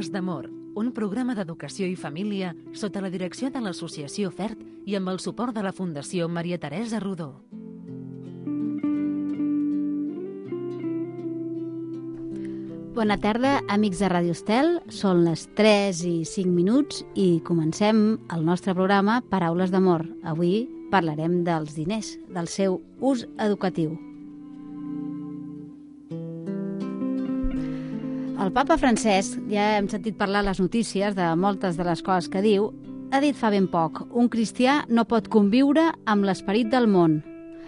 Paraules d'amor, un programa d'educació i família sota la direcció de l'Associació FERT i amb el suport de la Fundació Maria Teresa Rodó. Bona tarda, amics de Ràdio Estel. Són les 3 i 5 minuts i comencem el nostre programa Paraules d'amor. Avui parlarem dels diners, del seu ús educatiu. El papa Francesc, ja hem sentit parlar a les notícies de moltes de les coses que diu, ha dit fa ben poc: un cristià no pot conviure amb l'esperit del món,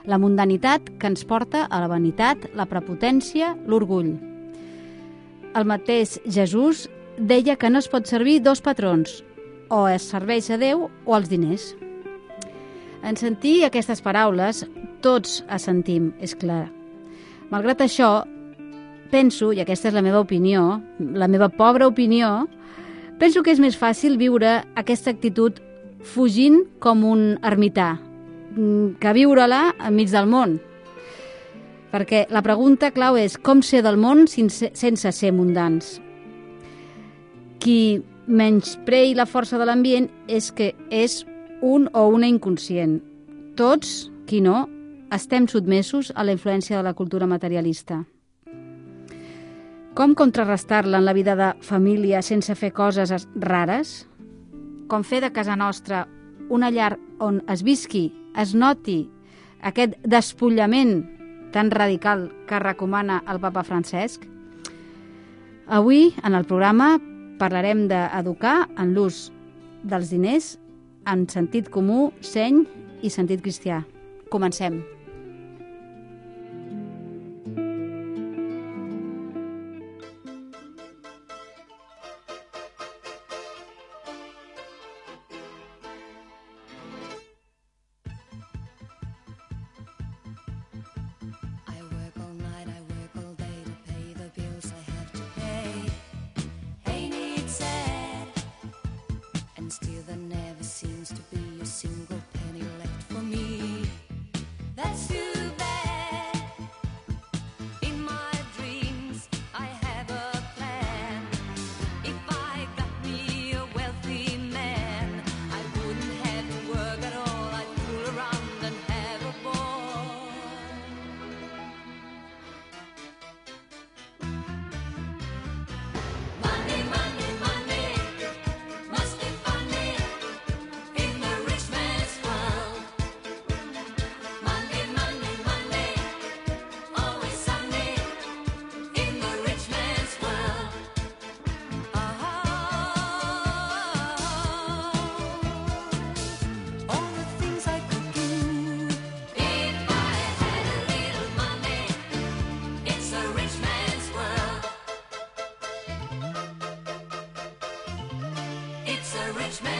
la mundanitat que ens porta a la vanitat, la prepotència, l'orgull. El mateix Jesús deia que no es pot servir dos patrons, o es serveix a Déu o als diners. En sentir aquestes paraules, tots assentim, és clar. Malgrat això, penso, i aquesta és la meva opinió, la meva pobra opinió, penso que és més fàcil viure aquesta actitud fugint com un ermità, que viure-la enmig del món. Perquè la pregunta clau és com ser del món sense ser mundans. Qui menysprei la força de l'ambient és que és un o una inconscient. Tots, qui no, estem sotmesos a la influència de la cultura materialista. Com contrarrestar-la en la vida de família sense fer coses rares? Com fer de casa nostra una llar on es visqui, es noti aquest despullament tan radical que recomana el papa Francesc? Avui, en el programa, parlarem d'educar en l'ús dels diners en sentit comú, seny i sentit cristià. Comencem.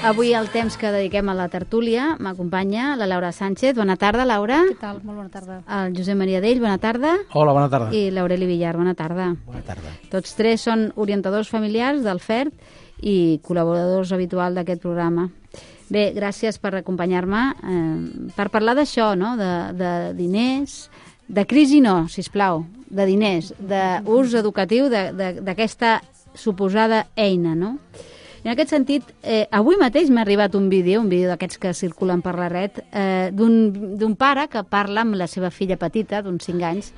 Avui el temps que dediquem a la tertúlia m'acompanya la Laura Sánchez. Bona tarda, Laura. Què tal? Molt bona tarda. El Josep Maria Dell, bona tarda. Hola, bona tarda. I l'Aureli Villar, bona tarda. Bona tarda. Tots tres són orientadors familiars del FERT i col·laboradors habituals d'aquest programa. Bé, gràcies per acompanyar-me per parlar d'això, no? De diners, de crisi no, sisplau, de diners, d'ús educatiu d'aquesta suposada eina, no? I en aquest sentit, avui mateix m'ha arribat un vídeo d'aquests que circulen per la red, d'un pare que parla amb la seva filla petita, d'uns 5 anys,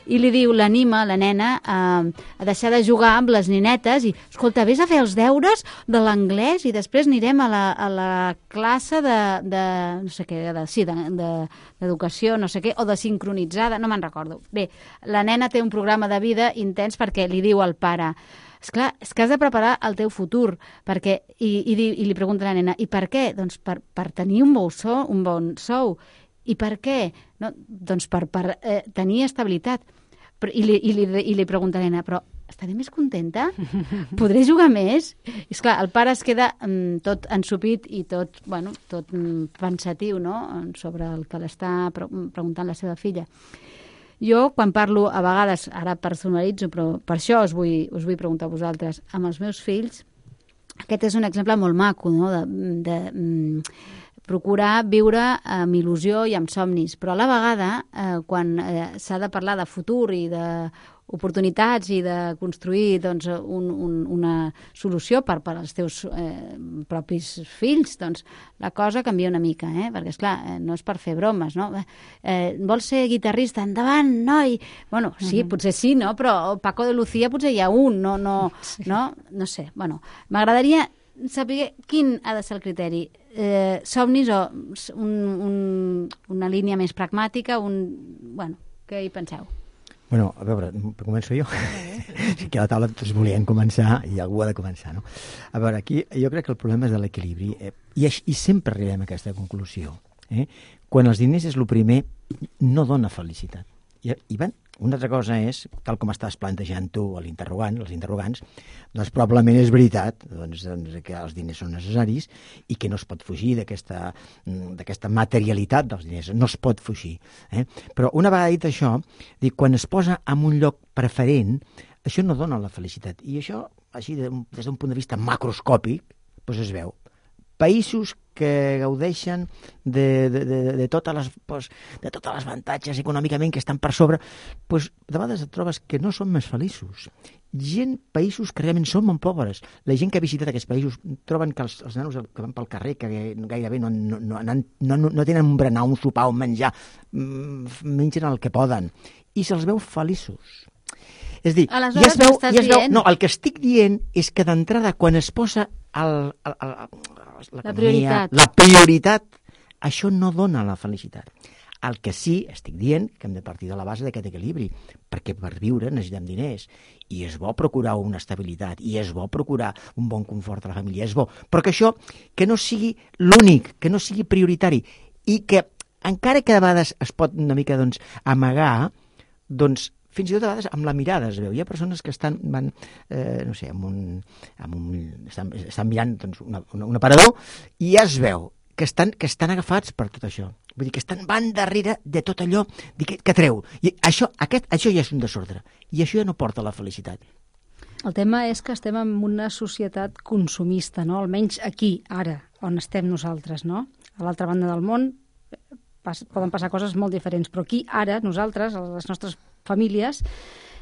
i li diu, l'anima, la nena, a deixar de jugar amb les nenetes i, escolta, vés a fer els deures de l'anglès i després anirem a la classe no sé què, d'educació, no sé què, o de sincronitzada, no me'n recordo. Bé, la nena té un programa de vida intens perquè li diu al pare: esclar, és que has de preparar el teu futur, perquè, i li pregunta la nena, i per què? Doncs per tenir un bon sou. I per què? No, doncs per tenir estabilitat. I li pregunta la nena, però estaré més contenta? Podré jugar més? I esclar, el pare es queda tot ensupit i tot pensatiu, no?, sobre el que l'està preguntant la seva filla. Jo, quan parlo, a vegades, ara personalitzo, però per això us vull preguntar a vosaltres, amb els meus fills, aquest és un exemple molt maco, no?, de procurar viure amb il·lusió i amb somnis, però a la vegada, quan s'ha de parlar de futur i oportunitats i de construir doncs, una solució per als teus propis fills, doncs la cosa canvia una mica, perquè, esclar, no és per fer bromes, no? Vols ser guitarrista? Endavant, noi! Bueno, sí, potser sí, no? Però Paco de Lucía potser hi ha un, no sé. Bueno, m'agradaria saber quin ha de ser el criteri. Somnis o una línia més pragmàtica, bueno, què hi penseu? Bueno, a veure, començo jo. Que a la taula tots volien començar i algú ha de començar, no? A veure, aquí jo crec que el problema és de l'equilibri i sempre arribem a aquesta conclusió. Quan els diners és el primer, no dona felicitat. I bé, una altra cosa és, tal com estàs plantejant tu els interrogants, doncs probablement és veritat que els diners són necessaris i que no es pot fugir d'aquesta materialitat dels diners, no es pot fugir. Però una vegada dit això, quan es posa en un lloc preferent, això no dona la felicitat. I això, així, des d'un punt de vista macroscòpic, doncs es veu. Països que gaudeixen de tots els avantatges econòmicament que estan per sobre, doncs de vegades et trobes que no són més feliços. Països que realment són molt pobres. La gent que ha visitat aquests països troben que els nanos que van pel carrer, que gairebé no tenen un berenar, un sopar, un menjar, mengen el que poden, i se'ls veu feliços. És a dir, el que estic dient és que d'entrada, quan es posa la prioritat, això no dona la felicitat. El que sí, estic dient que hem de partir de la base d'aquest equilibri, perquè per viure necessitem diners, i és bo procurar una estabilitat, i és bo procurar un bon confort a la família, és bo, però que això que no sigui l'únic, que no sigui prioritari, i que encara que de vegades es pot una mica amagar, doncs fins i tot a vegades amb la mirada es veu. Hi ha persones que estan mirant un aparador i ja es veu que estan agafats per tot això. Vull dir que van darrere de tot allò que treu. I això ja és un desordre. I això ja no porta la felicitat. El tema és que estem en una societat consumista, no? Almenys aquí, ara, on estem nosaltres, no? A l'altra banda del món poden passar coses molt diferents, però aquí, ara, nosaltres, les nostres famílies,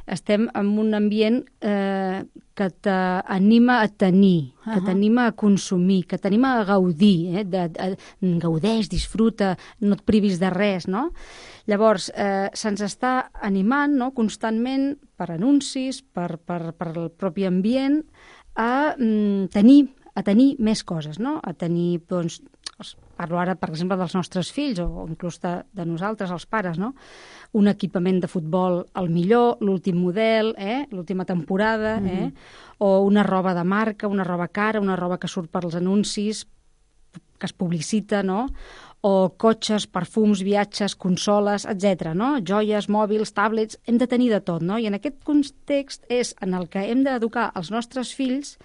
estem en un ambient que t'anima a tenir, que t'anima a consumir, que t'anima a gaudir, gaudeix, disfruta, no et privis de res, no? Llavors, se'ns està animant, no?, constantment, per anuncis, per el propi ambient, a tenir més coses, no? A tenir, doncs, parlo ara, per exemple, dels nostres fills o inclús de nosaltres, els pares, no? Un equipament de futbol el millor, l'últim model, l'última temporada, o una roba de marca, una roba cara, una roba que surt per als anuncis, que es publicita, no? O cotxes, perfums, viatges, consoles, etc. No? Joies, mòbils, tablets, hem de tenir de tot, no? I en aquest context és en el que hem d'educar els nostres fills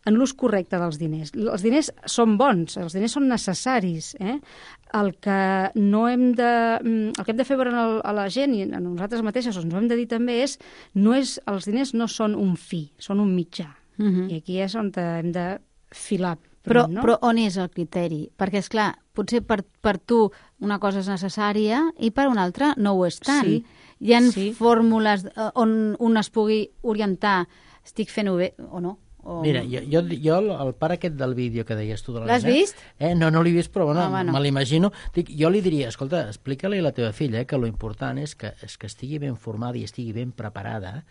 en l'ús correcte dels diners. Els diners són bons, els diners són necessaris. El que hem de fer veure a la gent i a nosaltres mateixes, ens ho hem de dir també, els diners no són un fi, són un mitjà. I aquí és on hem de filar. Però on és el criteri? Perquè, esclar, potser per tu una cosa és necessària i per una altra no ho és tant. Hi ha fórmules on un es pugui orientar, estic fent-ho bé o no? Mira, jo el pare aquest del vídeo que deies tu de la L'has vist? No l'he vist, però me l'imagino. Jo li diria, escolta, explica-li a la teva filla que lo important és que estigui ben formada i estigui ben preparada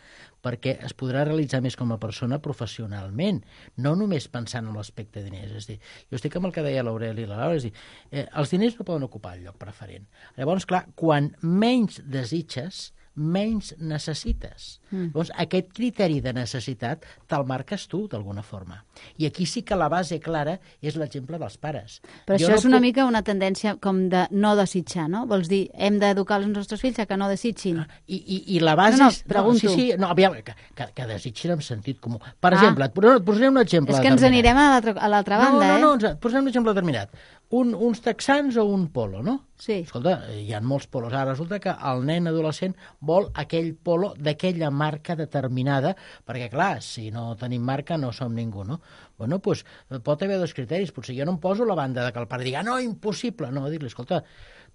perquè es podrà realitzar més com a persona professionalment, no només pensant en l'aspecte de diners. És a dir, jo estic amb el que deia l'Aureli i la Laura, és a dir, els diners no poden ocupar el lloc preferent. Llavors, clar, quan menys desitges, menys necessites. Llavors, aquest criteri de necessitat te'l marques tu, d'alguna forma. I aquí sí que la base clara és l'exemple dels pares. Però això és una mica una tendència com de no desitjar, no? Vols dir, hem d'educar els nostres fills a que no desitgin. I la base és... pregunto. Aviam, que desitgin amb sentit comú. Per exemple, et posaré un exemple és que ens anirem a l'altra banda, No, et posaré un exemple determinat. uns texans o un polo, no? Sí. Escolta, hi ha molts polos. Ara resulta que el nen adolescent vol aquell polo d'aquella marca determinada, perquè, clar, si no tenim marca no som ningú, no? Bueno, doncs pot haver dos criteris. Potser jo no em poso la banda de que el pare digui no, impossible. No, dir-li, escolta,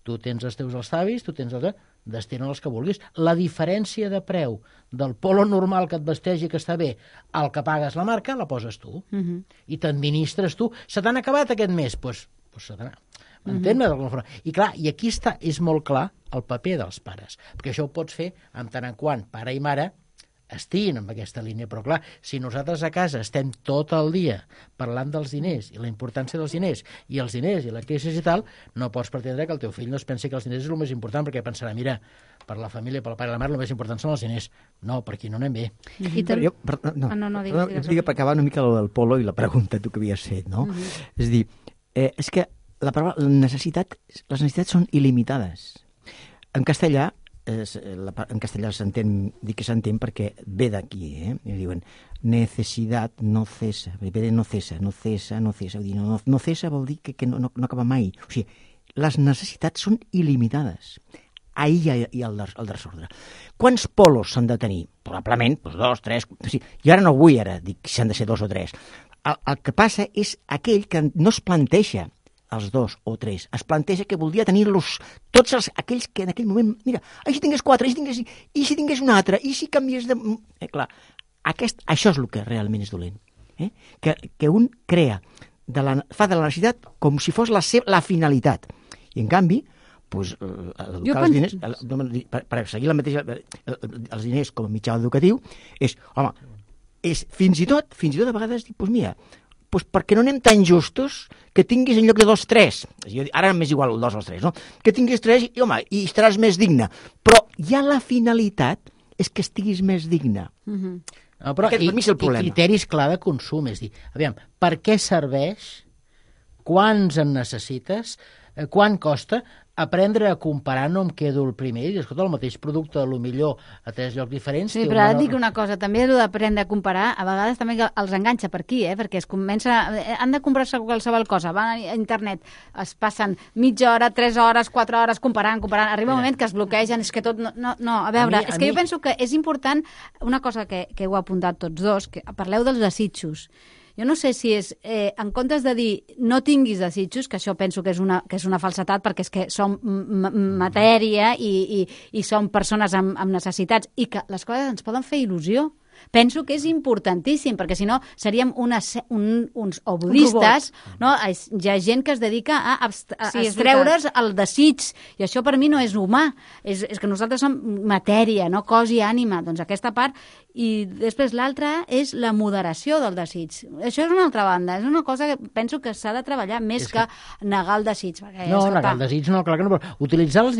tu tens els teus alçavis, tu tens els... destina els que vulguis. La diferència de preu del polo normal que et vesteix i que està bé al que pagues la marca, la poses tu. I t'administres tu. Se t'han acabat aquest mes? Doncs se t'han acabat. M'entén-me d'alguna forma? I clar, i aquí és molt clar el paper dels pares, perquè això ho pots fer en tant en quant pare i mare estiguin en aquesta línia, però clar, si nosaltres a casa estem tot el dia parlant dels diners i la importància dels diners i la crisi i tal, no pots pretendre que el teu fill no es pensi que els diners és el més important, perquè pensarà, mira, per la família, per el pare i la mare, el més important són els diners. No, per aquí no anem bé. Digue per acabar una mica del polo i la pregunta tu que havies fet, no? És a dir, és que les necessitats són il·limitades. En castellà s'entén, dic que s'entén perquè ve d'aquí, i diuen necessitat no cessa, ve de no cessa, no cessa, vull dir, no cessa vol dir que no acaba mai. O sigui, les necessitats són il·limitades. Ahí hi ha el desordre. Quants polos s'han de tenir? Probablement, doncs 2, 3... O sigui, jo ara no vull dir si han de ser 2 o 3. El que passa és aquell que no es planteja els 2 o 3, es planteja que voldria tenir-los tots aquells que en aquell moment, mira, i si tingués 4, i si tingués un altre, i si canviés de... clar, això és el que realment és dolent. Que un crea, fa de la necessitat com si fos la finalitat. I en canvi, doncs, educar els diners, per seguir la mateixa, els diners com a mitjà educatiu, és fins i tot a vegades dir, doncs mira, doncs per què no anem tan justos que tinguis en lloc de 2, 3? Ara m'és igual el 2 o els 3, no? Que tinguis 3 i estaràs més digne. Però ja la finalitat és que estiguis més digne. Però aquest per mi és el problema. I criteris clar de consum, és dir, aviam, per què serveix, quants en necessites, quant costa, aprendre a comparar, no em quedo el primer, i escolta, el mateix producte, a lo millor a 3 llocs diferents... Sí, però ara et dic una cosa, també és d'aprendre a comparar, a vegades també els enganxa per aquí, perquè han de comprar-se qualsevol cosa, van a internet, es passen mitja hora, 3 hores, 4 hores, comparant, arriba un moment que es bloquegen, és que tot... No, a veure, és que jo penso que és important, una cosa que heu apuntat tots dos, que parleu dels desitjos. Jo no sé si és, en comptes de dir no tinguis desitjos, que això penso que és una falsetat, perquè és que som matèria i som persones amb necessitats, i que les coses ens poden fer il·lusió. Penso que és importantíssim, perquè si no seríem uns budistes, no? Hi ha gent que es dedica a extreure's el desig, i això per mi no és humà, és que nosaltres som matèria, no cos i ànima, doncs aquesta part, i després l'altra és la moderació del desig. Això és una altra banda, és una cosa que penso que s'ha de treballar més que negar el desig. No, negar el desig no, clar que no, però utilitzar bé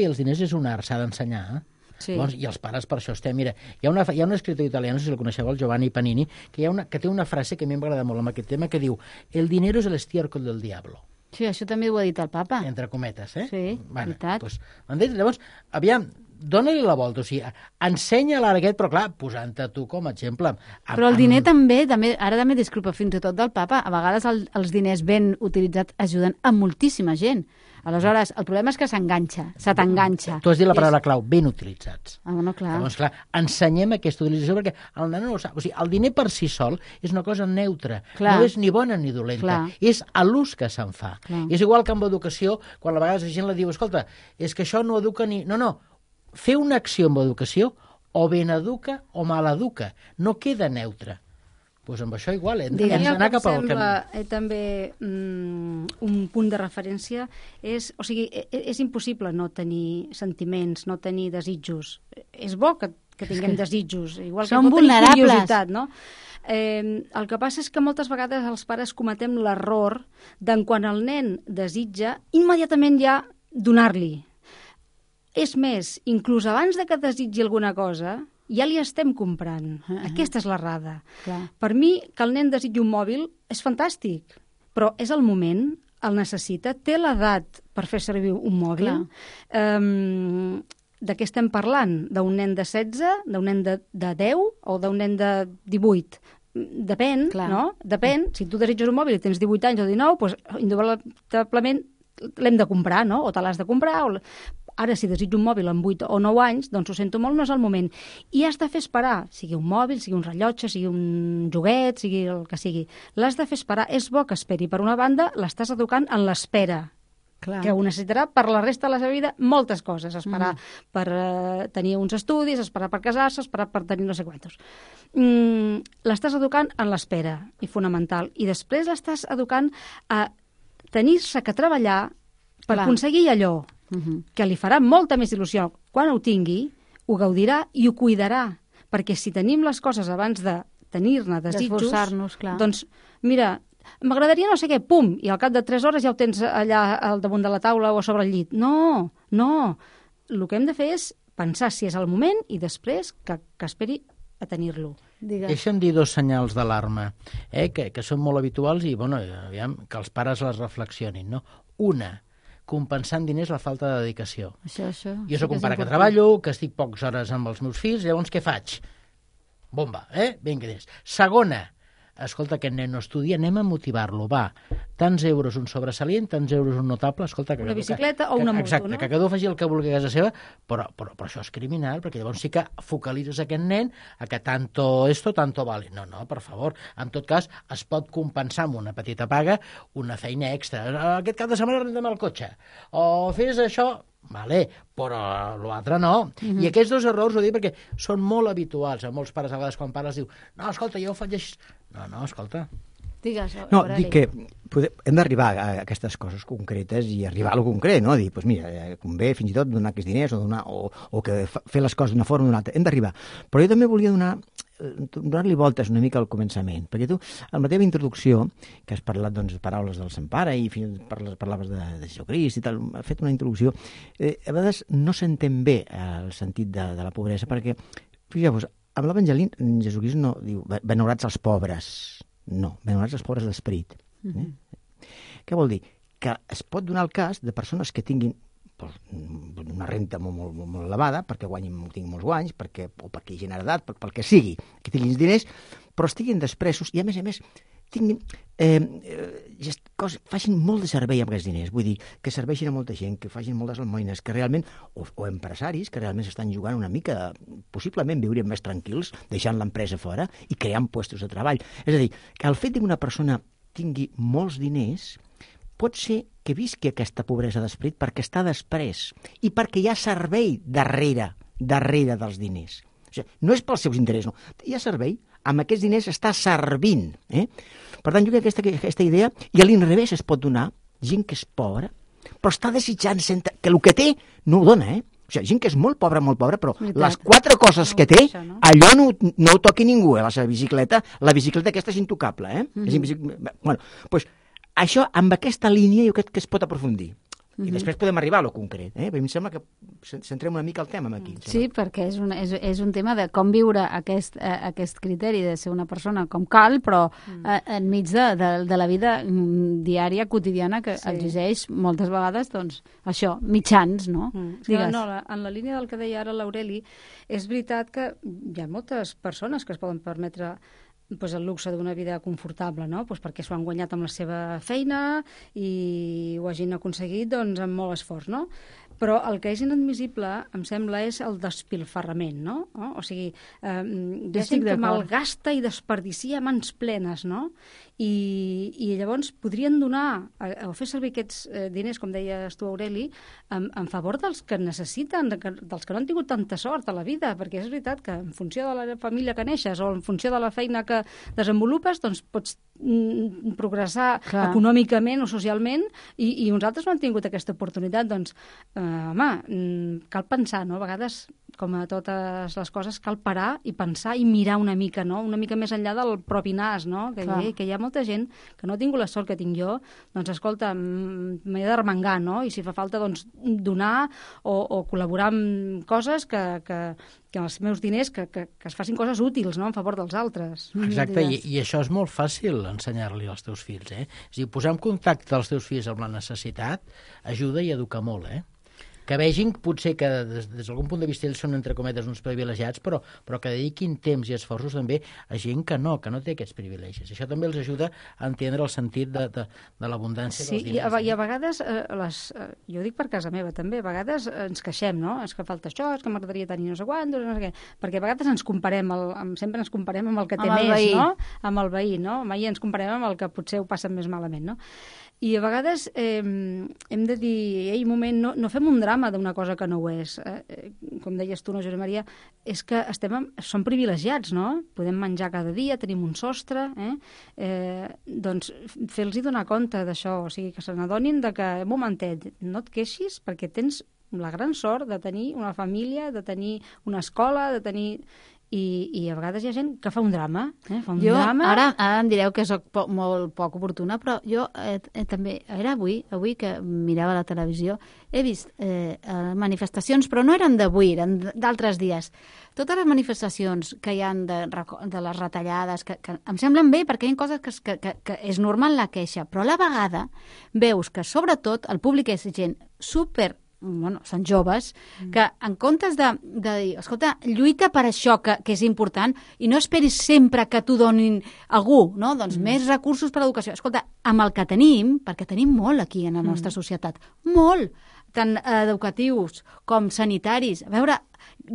els diners és un art, s'ha d'ensenyar, Sí. Llavors, i els pares per això estem... Mira, hi ha un escriptor italià, no sé si el coneixeu, el Giovanni Panini, que té una frase que a mi m'agrada molt amb aquest tema, que diu el dinero es el estiércol del diablo. Sí, això també ho ha dit el papa. Entre cometes, Sí, veritat. Doncs, llavors, aviam, dóna-li la volta, o sigui, ensenya l'arguet, però clar, posant-te tu com a exemple. Però el diner també, ara també disculpa fins i tot del papa, a vegades els diners ben utilitzats ajuden a moltíssima gent. Aleshores, el problema és que se t'enganxa. Tu has dit la paraula clau, ben utilitzats. Bueno, clar. Llavors, clar, ensenyem aquesta utilització perquè el nen no ho sap. O sigui, el diner per si sol és una cosa neutra. Clar. No és ni bona ni dolenta. Clar. És a l'ús que se'n fa. Clar. És igual que amb educació, quan a vegades la gent la diu, escolta, és que això no educa ni... No, fer una acció amb educació o ben educa o mal educa. No queda neutra. Doncs amb això igual, hem d'anar cap al camí. També un punt de referència és impossible no tenir sentiments, no tenir desitjos. És bo que tinguem desitjos, igual que som vulnerables. Curiositat, no? El que passa és que moltes vegades els pares cometem l'error d'en quan el nen desitja, immediatament ja donar-li. És més, inclús abans de que desitgi alguna cosa, ja li estem comprant. Aquesta és l'errada. Per mi, que el nen desitgi un mòbil és fantàstic, però és el moment, el necessita, té l'edat per fer servir un mòbil. De què estem parlant? D'un nen de 16, d'un nen de 10 o d'un nen de 18? depèn, no? Depèn, si tu desitges un mòbil i tens 18 anys o 19, doncs indubtablement l'hem de comprar, no? O te l'has de comprar, ara si desitjo un mòbil amb 8 o 9 anys, doncs ho sento molt, no és el moment. I has de fer esperar, sigui un mòbil, sigui un rellotge, sigui un joguet, sigui el que sigui. L'has de fer esperar, és bo que esperi. Per una banda, l'estàs educant en l'espera, que ho necessitarà per la resta de la seva vida moltes coses, esperar per tenir uns estudis, esperar per casar-se, esperar per tenir no sé quantos. L'estàs educant en l'espera, i fonamental, i després l'estàs educant a tenir-se que treballar per aconseguir allò que li farà molta més il·lusió. Quan ho tingui, ho gaudirà i ho cuidarà, perquè si tenim les coses abans de tenir-ne desitjos, doncs mira, m'agradaria no sé què, pum, i al cap de 3 hores ja ho tens allà al damunt de la taula o sobre el llit. No, el que hem de fer és pensar si és el moment i després que esperi a tenir-lo. Deixa'm dir 2 senyals d'alarma que són molt habituals i aviam, que els pares les reflexionin. No? Una, compensant diners la falta de dedicació. Això. Jo soc un pare que treballo, que estic poques hores amb els meus fills, llavors què faig? Bomba, vinga diners. Segona, escolta, aquest nen no estudia, anem a motivar-lo, va, tants euros un sobresalient, tants euros un notable, escolta... Una bicicleta o una moto, exacte, que cada un faci el que vulgui a casa seva, però això és criminal, perquè llavors sí que focalitzes aquest nen a que tanto esto, tanto vale. No, per favor, en tot cas, es pot compensar amb una petita paga una feina extra. Aquest cap de setmana rentem el cotxe, o fes això... Vale, però l'altre no. I aquests 2 errors ho dic perquè són molt habituals a molts pares. A vegades quan pares diu, no, escolta, jo ho faig així. No, escolta. Digues, no, dic que hem d'arribar a aquestes coses concretes i arribar a lo concret, no? Dir, doncs mira, convé fins i tot donar aquests diners o que fer les coses d'una forma o d'una altra. Hem d'arribar. Però jo també volia donar-li voltes una mica al començament, perquè tu, en la teva introducció, que has parlat de paraules del Sant Pare i parlaves de Jesucrist i tal, has fet una introducció, a vegades no s'entén bé el sentit de la pobresa, perquè, fixeu-vos, amb l'Evangeli Jesucrist no diu benaurats els pobres, no, benaurats els pobres d'esperit. Què vol dir? Que es pot donar el cas de persones que tinguin una renta molt elevada, perquè tinguin molts guanys, o perquè hagin heredat, pel que sigui, que tinguin diners, però estiguin despresos i, a més, facin molt de servei amb aquests diners. Vull dir, que serveixin a molta gent, que facin moltes almoines, que realment, o empresaris que realment s'estan jugant una mica, possiblement viurien més tranquils, deixant l'empresa fora i creant puestos de treball. És a dir, que el fet que una persona tingui molts diners pot ser que visqui aquesta pobresa d'esperit perquè està després i perquè hi ha servei darrere dels diners. O sigui, no és pels seus interessos, no. Hi ha servei, amb aquests diners està servint. Per tant, jo crec que aquesta idea, i a l'inrevés es pot donar gent que és pobra, però està desitjant que el que té no ho dona, O sigui, gent que és molt pobra, però les 4 coses que té, allò no ho toqui ningú, la seva bicicleta. La bicicleta aquesta és intocable, Bueno, doncs això, amb aquesta línia, jo crec que es pot aprofundir. I després podem arribar a lo concret. A mi em sembla que centrem una mica el tema aquí. Sí, perquè és un tema de com viure aquest criteri de ser una persona com cal, però enmig de la vida diària, quotidiana, que exigeix moltes vegades, doncs, això, mitjans, no? Digues. No, en la línia del que deia ara l'Aureli, és veritat que hi ha moltes persones que es poden permetre el luxe d'una vida confortable, no? Perquè s'ho han guanyat amb la seva feina i ho hagin aconseguit amb molt esforç, no? Però el que és inadmissible, em sembla, és el despilfarrament, no? O sigui, gent que malgasta i desperdicia a mans plenes, no? I llavors podrien donar o fer servir aquests diners, com deies tu, Aureli, en favor dels que necessiten, dels que no han tingut tanta sort a la vida, perquè és veritat que en funció de la família que neixes o en funció de la feina que desenvolupes, doncs pots progressar econòmicament o socialment i uns altres no han tingut aquesta oportunitat. Doncs, cal pensar, no? A vegades, com a totes les coses, cal parar i pensar i mirar una mica, no? Una mica més enllà del propi nas, no? Que hi ha molta gent que no ha tingut la sort que tinc jo, doncs escolta, m'he d'arremangar, no? I si fa falta, doncs, donar o col·laborar amb coses que els meus diners, que es facin coses útils, no?, en favor dels altres. Exacte, i això és molt fàcil ensenyar-li als teus fills, És a dir, posar en contacte els teus fills amb la necessitat ajuda i educa molt, que vegin potser que des d'algun punt de vista ells són, entre cometes, uns privilegiats, però que dediquin temps i esforços també a gent que no té aquests privilegis. Això també els ajuda a entendre el sentit de l'abundància dels diners. Sí, i a vegades, jo ho dic per casa meva també, a vegades ens queixem, no? És que falta això, és que m'agradaria tenir no sé quantos, no sé què, perquè a vegades sempre ens comparem amb el que té més, no? Amb el veí, no? Mai ens comparem amb el que potser ho passa més malament, no? I a vegades hem de dir, ei, un moment, no fem un drama d'una cosa que no ho és. Com deies tu, no, Josep Maria, és que som privilegiats, no? Podem menjar cada dia, tenim un sostre, doncs fer-los donar compte d'això, o sigui, que se n'adonin que, un momentet, no et queixis perquè tens la gran sort de tenir una família, de tenir una escola, de tenir... I a vegades hi ha gent que fa un drama. Drama. Ara em direu que soc molt poc oportuna, però jo també, era avui que mirava la televisió, he vist manifestacions, però no eren d'avui, eren d'altres dies. Totes les manifestacions que hi ha de les retallades, que em semblen bé, perquè hi ha coses que és normal la queixa, però a la vegada veus que, sobretot, el públic és gent són joves, que en comptes de dir, escolta, lluita per això que és important i no esperis sempre que t'ho donin algú, no? Doncs més recursos per a l'educació. Escolta, amb el que tenim, perquè tenim molt aquí en la nostra societat, molt, tant educatius com sanitaris. A veure,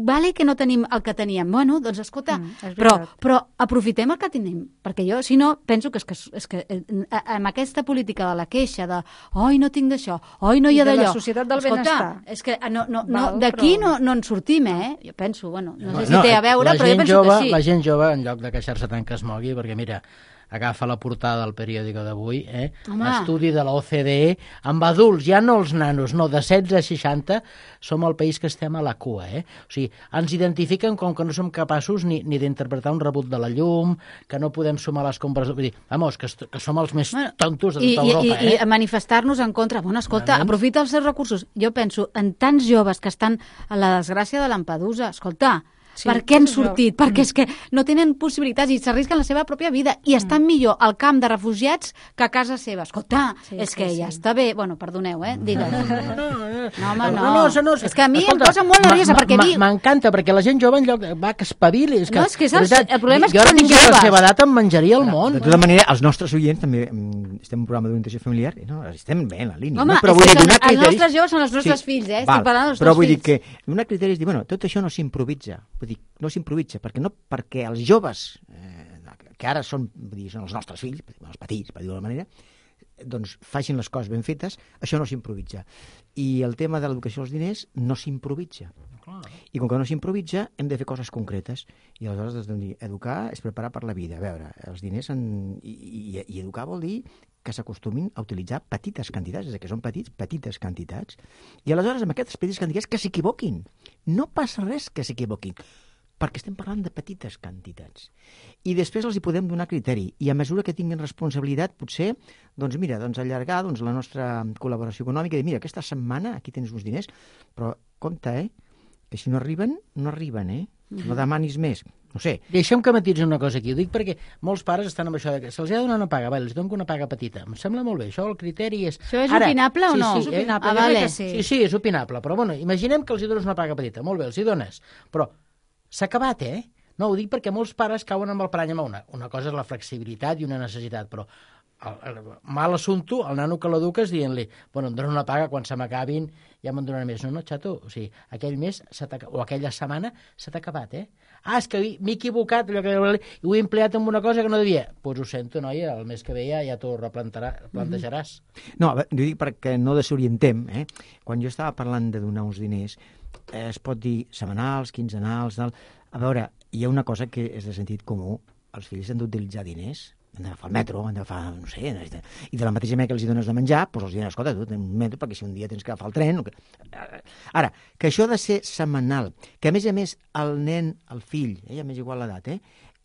vale que no tenim el que teníem. Bueno, doncs escolta, però aprofitem el que tenim, perquè jo, si no, penso que és que amb aquesta política de la queixa, de oi, no tinc d'això, oi, no hi ha d'allò. De la societat del benestar. És que d'aquí no en sortim, Jo penso, no sé si té a veure, però jo penso que sí. La gent jove, en lloc de queixar-se tant que es mogui, perquè mira, agafa la portada del periòdico d'avui, estudi de la OCDE, amb adults, ja no els nanos, no, de 16 a 60, som el país que estem a la cua, O sigui, ens identifiquen com que no som capaços ni d'interpretar un rebut de la llum, que no podem sumar les compres... Vull dir, vamos, que som els més tontos de tota Europa, I manifestar-nos en contra. Bueno, escolta, aprofita els seus recursos. Jo penso en tants joves que estan a la desgràcia de Lampedusa. Escolta, sí, per què han sortit? Perquè és que no tenen possibilitats i s'arrisquen la seva pròpia vida i estan millor al camp de refugiats que a casa seva. Escolta, és que ja està bé. Bueno, perdoneu, digues. No. És que a mi em posa molt nerviosa perquè... M'encanta, perquè la gent jove en lloc va que espavili. No, és que el problema és que són joves. Jo a la seva edat em menjaria el món. De tota manera, els nostres oients també estem en un programa d'orientació familiar i estem bé en la línia. Home, els nostres joves són els nostres fills, estic parlant dels nostres fills. Però vull dir que donar criteris és dir, tot això no s'improvisa. Vull dir, no s'improvisa, perquè els joves, que ara són els nostres fills, els petits, per dir-ho d'alguna manera, doncs facin les coses ben fetes, això no s'improvisa. I el tema de l'educació dels diners no s'improvisa. I com que no s'improvisa, hem de fer coses concretes. I aleshores, educar és preparar per la vida. A veure, els diners i educar vol dir que s'acostumin a utilitzar petites quantitats, és a dir, que són petites quantitats. I aleshores, amb aquestes petites quantitats, que s'equivoquin. No passa res que s'equivoquin, perquè estem parlant de petites quantitats. I després els hi podem donar criteri. I a mesura que tinguin responsabilitat, potser, allargar la nostra col·laboració econòmica i dir, mira, aquesta setmana aquí tens uns diners, però compte, que si no arriben, no arriben, No demanis més. No sé. Deixa'm que matitzi una cosa aquí. Ho dic perquè molts pares estan amb això de que se'ls ha de donar una paga. Els dono una paga petita. Em sembla molt bé. Això, el criteri és... Això és opinable o no? Sí, és opinable. Vale. Sí, és opinable. Però, imaginem que els hi dones una paga petita. Molt bé, els hi dones. Però s'ha acabat, No, ho dic perquè molts pares cauen amb el parany amb una cosa és la flexibilitat i una necessitat, però mal assumpto, el nano que l'eduques dient-li, em donen una paga, quan se m'acabin ja me'n donaran més. No, xato, o sigui, aquell mes o aquella setmana s'ha acabat, és que m'he equivocat, ho he empleat en una cosa que no devia. Doncs ho sento, noia, el mes que ve ja t'ho replantejaràs. No, ho dic perquè no desorientem, Quan jo estava parlant de donar uns diners, es pot dir setmanals, quinzenals, a veure, hi ha una cosa que és de sentit comú, els fills han d'utilitzar diners, han d'agafar el metro, han d'agafar, no sé, i de la mateixa manera que els hi dones de menjar, doncs els diuen, escolta, tu tens un metro perquè si un dia tens que agafar el tren... Ara, que això ha de ser setmanal, que a més el nen, el fill, ja m'és igual l'edat,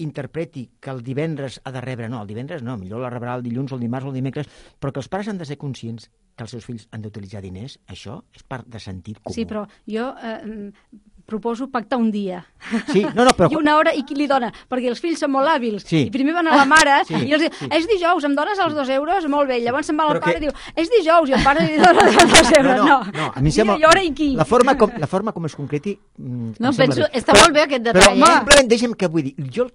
interpreti que el divendres ha de rebre, no, el divendres no, millor la rebrà el dilluns o el dimarts o el dimecres, però que els pares han de ser conscients que els seus fills han d'utilitzar diners, això és part de sentit comú. Sí, però jo proposo pactar un dia. Sí, no, però... I una hora, i qui li dona? Perquè els fills són molt hàbils. Sí. I primer van a la mare, Sí. i els diu, és dijous, em dones els 2 euros? Molt bé. Llavors se'n va al Però pare que- i diu, és dijous, i el pare li dona els 2 euros. No, a mi em sembla... I hora i qui? La forma com es concreti... No, penso... Està molt bé aquest detall, Però simplement deixa'm que vull dir, jo el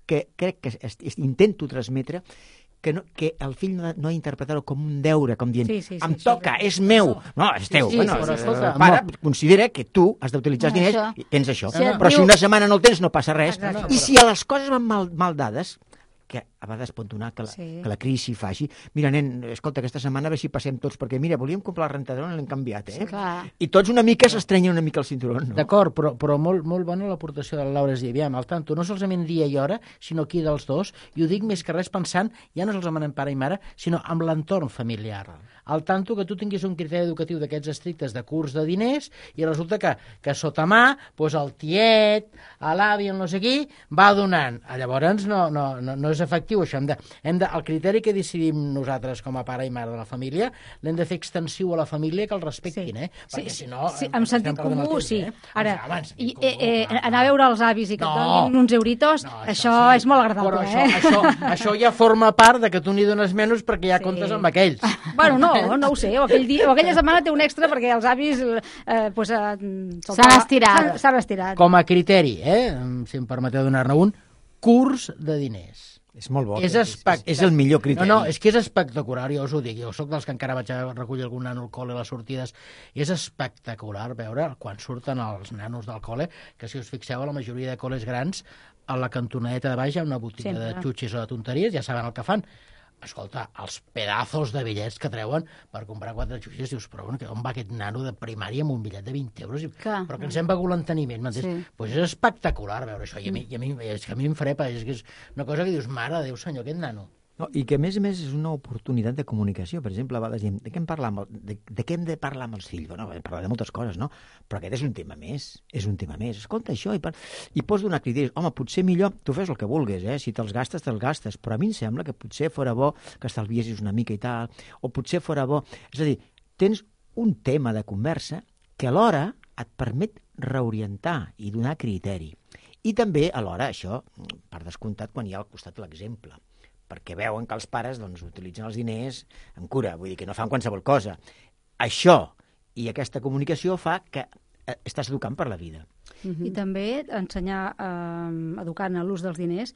que crec que intento transmetre que el fill no ha d'interpretar-ho com un deure, com dient, em toca, és meu. No, és teu. Sí, Bueno, però escolta, pare, considera que tu has d'utilitzar els diners i tens això. Però si una setmana no el tens, no passa res. I si a les coses van mal dades, que a vegades pot donar que la crisi faci. Mira, nen, escolta, aquesta setmana a veure si passem tots, perquè mira, volíem comprar el rentador i l'hem canviat, eh? I tots una mica s'estrenyen una mica el cinturó, no? D'acord, però molt bona l'aportació del Laura. És dir, aviam, al tanto, no solament dia i hora, sinó qui dels dos, i ho dic més que res pensant, ja no solament en pare i mare, sinó amb l'entorn familiar. Al tanto que tu tinguis un criteri educatiu d'aquests estrictes de curs de diners i resulta que sota mà, doncs el tiet, l'avi, el no sé qui, va donant. Llavors no és efectiu això. El criteri que decidim nosaltres com a pare i mare de la família l'hem de fer extensiu a la família que el respectin, perquè si no... Sí, amb sentit comú, sí. Ara, anar a veure els avis i que et donin uns euritos, això és molt agradable, però això ja forma part de que tu n'hi dones menys perquè ja comptes amb aquells. Bueno, no ho sé, o aquella setmana té un extra perquè els avis s'han estirat. Com a criteri, si em permeteu donar-ne un, curs de diners. És molt bo. És el millor criteri. No, és que és espectacular, jo us ho dic. Jo soc dels que encara vaig a recollir algun nano al col·le a les sortides. És espectacular veure quan surten els nanos del col·le, que si us fixeu a la majoria de col·les grans, a la cantonadeta de baix hi ha una botiga de xutxis o de tonteries, ja saben el que fan. Escolta, els pedazos de bitllets que treuen per comprar 4 xutxis, dius, però bueno, on va aquest nano de primària amb un bitllet de 20 euros? Però que ens hem begut l'enteniment, m'entens? Doncs és espectacular veure això, i a mi em frepa, és que és una cosa que dius, mare de Déu, senyor, aquest nano. No, i que a més és una oportunitat de comunicació. Per exemple, a vegades diem, de què hem de parlar amb els fills? Bueno, parlar de moltes coses, no? Però aquest és un tema més, Escolta això, i pots donar criteris. Home, potser millor, tu fes el que vulguis, si te'ls gastes, però a mi em sembla que potser fora bo que estalviessis una mica i tal, o potser fora bo... És a dir, tens un tema de conversa que alhora et permet reorientar i donar criteri. I també, alhora, això, per descomptat, quan hi ha al costat l'exemple, perquè veuen que els pares utilitzen els diners amb cura, vull dir que no fan qualsevol cosa. Això i aquesta comunicació fa que estàs educant per la vida. I també ensenyar, educant a l'ús dels diners,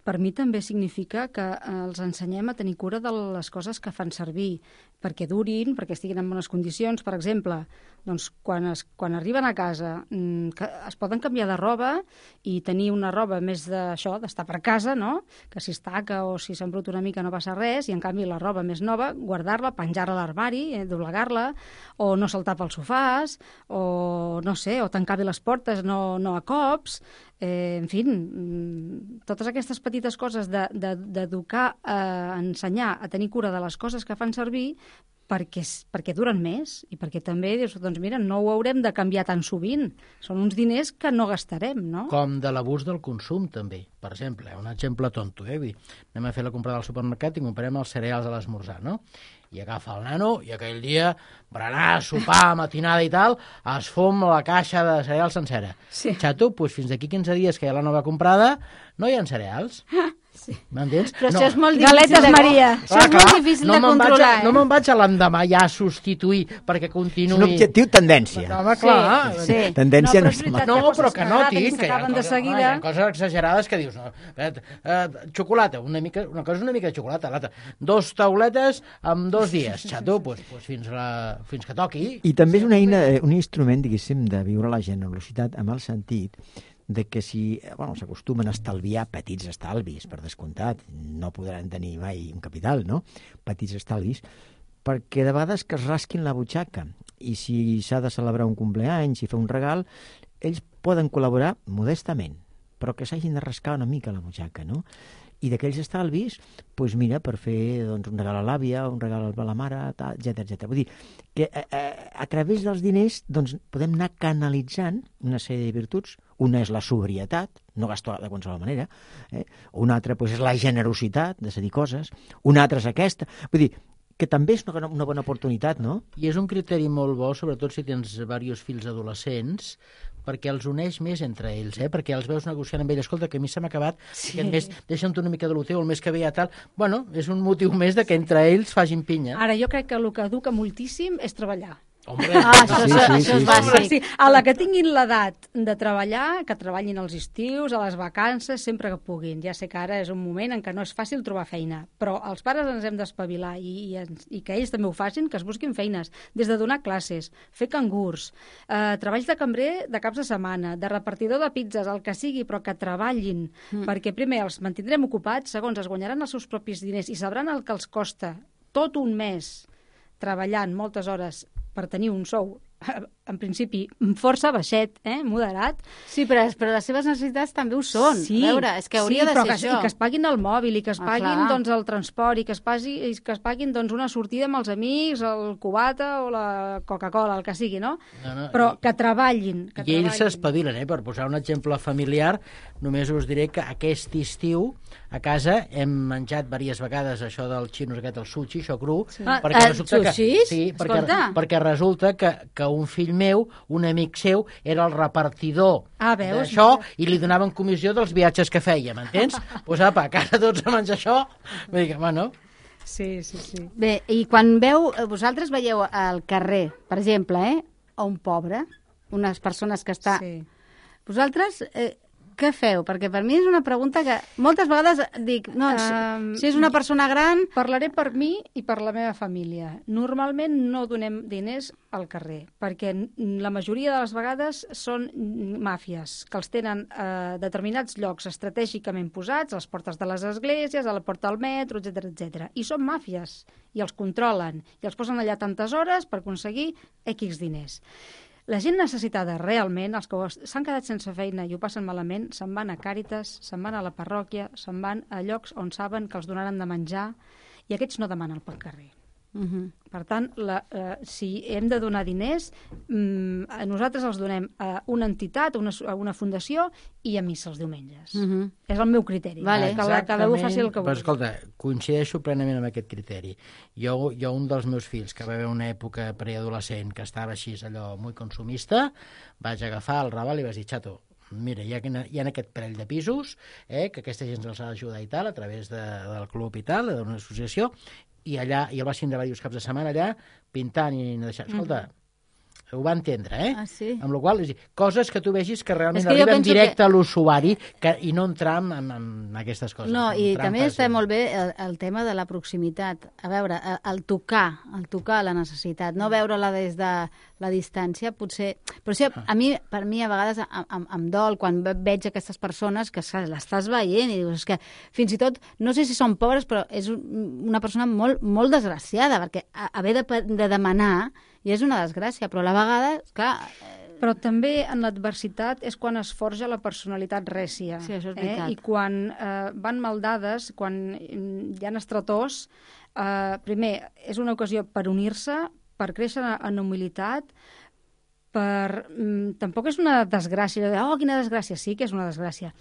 per mi també significa que els ensenyem a tenir cura de les coses que fan servir, perquè durin, perquè estiguin en bones condicions. Per exemple, doncs, quan arriben a casa es poden canviar de roba i tenir una roba més d'això, d'estar per casa, no? Que si es taca o si s'embrut una mica no passa res, i en canvi la roba més nova, guardar-la, penjar-la a l'armari, doblegar-la, o no saltar pels sofàs, o no sé, o tancar bé les portes, no a cops, en fi, totes aquestes petites coses d'educar, ensenyar a tenir cura de les coses que fan servir perquè duren més i perquè també dius, doncs mira, no ho haurem de canviar tan sovint. Són uns diners que no gastarem, no? Com de l'abús del consum, també. Per exemple, un exemple tonto, anem a fer la comprada al supermercat i comprem els cereals a l'esmorzar, no? I agafa el nano i aquell dia, berenar, sopar, matinada i tal, es fom la caixa de cereals sencera. Sí. Xato, doncs fins d'aquí 15 dies que hi ha la nova comprada, no hi ha cereals. Sí. M'entens? Però això és molt difícil. Galetes Maria. Això és molt difícil de controlar, No me'n vaig a l'endemà ja a substituir perquè continuï... És un objectiu tendència. Home, clar. Sí. Tendència no és veritat. No, Hi ha però coses que no, que tinc, que hi ha s'acaben de coses, seguida. hi ha coses exagerades que dius, xocolata, una cosa és una mica de xocolata, l'altra, 2 tauletes en 2 dies, xato, fins que toqui. I també és una eina, un instrument, diguéssim, de viure la generositat amb el sentit de que si s'acostumen a estalviar petits estalvis, per descomptat, no podran tenir mai un capital, no? Petits estalvis, perquè de vegades que es rasquin la butxaca i si s'ha de celebrar un compleany, si fa un regal, ells poden col·laborar modestament, però que s'hagin de rascar una mica la butxaca, no? I d'aquells estalvis, doncs mira, per fer un regal a l'àvia, un regal a la mare, etc. Vull dir que a través dels diners podem anar canalitzant una sèrie de virtuts. Una és la sobrietat, no gastar de qualsevol manera, una altra és la generositat, de cedir coses, una altra és aquesta. Vull dir que també és una bona oportunitat, no? I és un criteri molt bo, sobretot si tens diversos fills adolescents, perquè els uneix més entre ells, perquè els veus negociant amb ell. Escolta, que a mi se m'ha acabat, aquest mes deixa'm una mica de lo teu, el mes que ve ja tal. Bueno, és un motiu més de que entre ells facin pinya. Ara, jo crec que el que educa moltíssim és treballar. Hombre, això és bàsic. Sí, a la que tinguin l'edat de treballar, que treballin als estius, a les vacances, sempre que puguin. Ja sé que ara és un moment en què no és fàcil trobar feina, però els pares ens hem d'espavilar i que ells també ho facin, que es busquin feines, des de donar classes, fer cangurs, treballs de cambrer de caps de setmana, de repartidor de pizzas, el que sigui, però que treballin, perquè primer els mantindrem ocupats, segons es guanyaran els seus propis diners i sabran el que els costa tot un mes treballant moltes hores per tenir un sou, en principi, força baixet, moderat. Sí, però les seves necessitats també ho són. Sí, a veure, és que hauria de ser això. I que es paguin el mòbil, i que es paguin doncs, el transport, i que es paguin doncs, una sortida amb els amics, el cubata o la Coca-Cola, el que sigui, no? Però que treballin. I ells s'espavilen, per posar un exemple familiar, només us diré que aquest estiu a casa hem menjat diverses vegades això del xinos aquest, el sushi, això cru, perquè resulta perquè resulta que un fill meu, un amic seu, era el repartidor d'això i li donaven comissió dels viatges que feia, m'entens? Doncs apa, que ara tots a menjar això, vull dir, bueno... Sí. Bé, i quan vosaltres veieu al carrer, per exemple, a un pobre, unes persones que està... Sí. Vosaltres... què feu? Perquè per mi és una pregunta que moltes vegades dic, no, si és una persona gran... Parlaré per mi i per la meva família. Normalment no donem diners al carrer, perquè la majoria de les vegades són màfies, que els tenen a determinats llocs estratègicament posats, a les portes de les esglésies, a la porta del metro, etc. I són màfies, i els controlen, i els posen allà tantes hores per aconseguir X diners. La gent necessitada realment, els que s'han quedat sense feina i ho passen malament, se'n van a Càritas, se'n van a la parròquia, se'n van a llocs on saben que els donaran de menjar i aquests no demanen pel carrer. Per tant, si hem de donar diners, nosaltres els donem a una entitat, a una fundació i a missa els diumenges. És el meu criteri. Vale. Que cada un faci el que vulgui. Però escolta, coincideixo plenament amb aquest criteri. Jo un dels meus fills, que va haver una època preadolescent que estava així allò molt consumista, vaig agafar el raval i vaig dir, xato, mira, hi ha aquest parell de pisos, que aquesta gent els ha d'ajudar i tal, a través del club i tal, d'una associació, i allà, i el vaig tindre diversos caps de setmana allà, pintant i no deixant. Escolta, ho va entendre, Ah, sí? Amb la qual cosa, coses que tu vegis que realment arriben directe a l'usuari i no entrar en aquestes coses. No, i també està molt bé el tema de la proximitat. A veure, el tocar la necessitat, no veure-la des de la distància, potser... Però sí, per mi, a vegades, em dol quan veig aquestes persones que l'estàs veient i dius, és que fins i tot, no sé si són pobres, però és una persona molt, molt desgraciada, perquè haver de demanar i és una desgràcia, però a la vegada, clar... Però també en l'adversitat és quan es forja la personalitat rècia. Sí, això és veritat. I quan van maldades, quan hi ha estretors, primer, és una ocasió per unir-se, per créixer en humilitat, tampoc és una desgràcia, quina desgràcia, sí que és una desgràcia,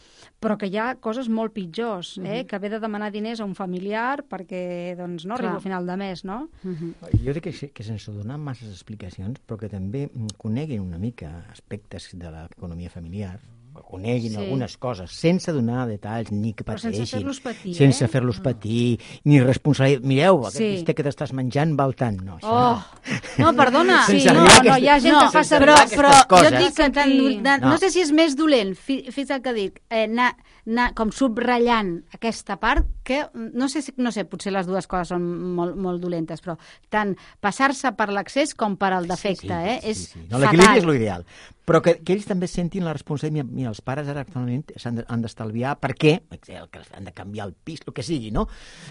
però que hi ha coses molt pitjors, que haver de demanar diners a un familiar perquè no arriba al final de mes, no? Jo crec que sense donar masses explicacions, però que també coneguin una mica aspectes de l'economia familiar, coneguin algunes coses, sense donar detalls, ni que pateixin. Sense fer-los patir, sense fer-los patir, ni responsabilitat. Mireu, aquest bistec que t'estàs menjant val tant. No, no, perdona. Sí, hi ha gent que fa servir però jo dic que no sé si és més dolent, fins al que dic, anar com subratllant aquesta part, que no sé, potser les dues coses són molt, molt dolentes, però tant passar-se per l'accés com per al defecte, és fatal. L'equilibri és l'ideal. Però que ells també sentin la responsabilitat. Mira, els pares ara actualment han d'estalviar perquè han de canviar el pis, el que sigui, no?